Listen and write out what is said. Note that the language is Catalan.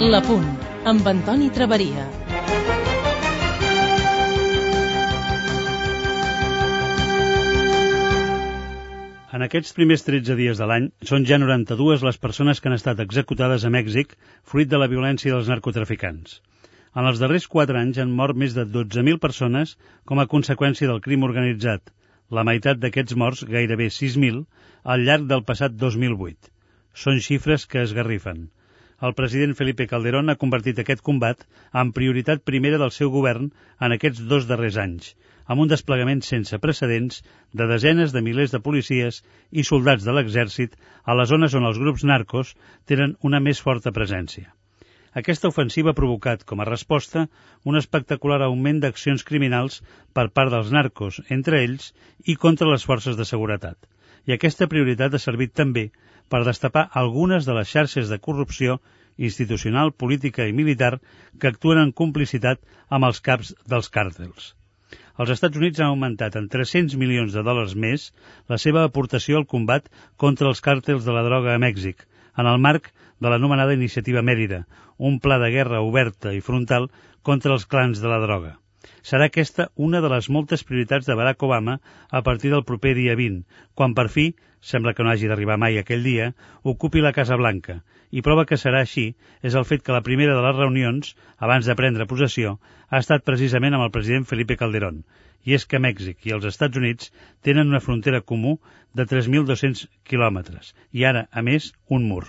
La Punt, amb Antoni Traveria. En aquests primers 13 dies de l'any són ja 92 les persones que han estat executades a Mèxic fruit de la violència dels narcotraficants. En els darrers 4 anys han mort més de 12.000 persones com a conseqüència del crim organitzat, la meitat d'aquests morts, gairebé 6.000, al llarg del passat 2008. Són xifres que esgarrifen. El president Felipe Calderón ha convertit aquest combat en prioritat primera del seu govern en aquests 2 darrers anys, amb un desplegament sense precedents de desenes de milers de policies i soldats de l'exèrcit a les zones on els grups narcos tenen una més forta presència. Aquesta ofensiva ha provocat, com a resposta, un espectacular augment d'accions criminals per part dels narcos, entre ells, i contra les forces de seguretat. I aquesta prioritat ha servit també per destapar algunes de les xarxes de corrupció institucional, política i militar que actuen en complicitat amb els caps dels càrtels. Els Estats Units han augmentat en $300 milions més la seva aportació al combat contra els càrtels de la droga a Mèxic, en el marc de l'anomenada Iniciativa Mèrida, un pla de guerra oberta i frontal contra els clans de la droga. Serà aquesta una de les moltes prioritats de Barack Obama a partir del proper dia 20, quan per fi, sembla que no hagi d'arribar mai aquell dia, ocupi la Casa Blanca. I prova que serà així és el fet que la primera de les reunions, abans de prendre possessió, ha estat precisament amb el president Felipe Calderón. I és que Mèxic i els Estats Units tenen una frontera comú de 3.200 quilòmetres i ara, a més, un mur.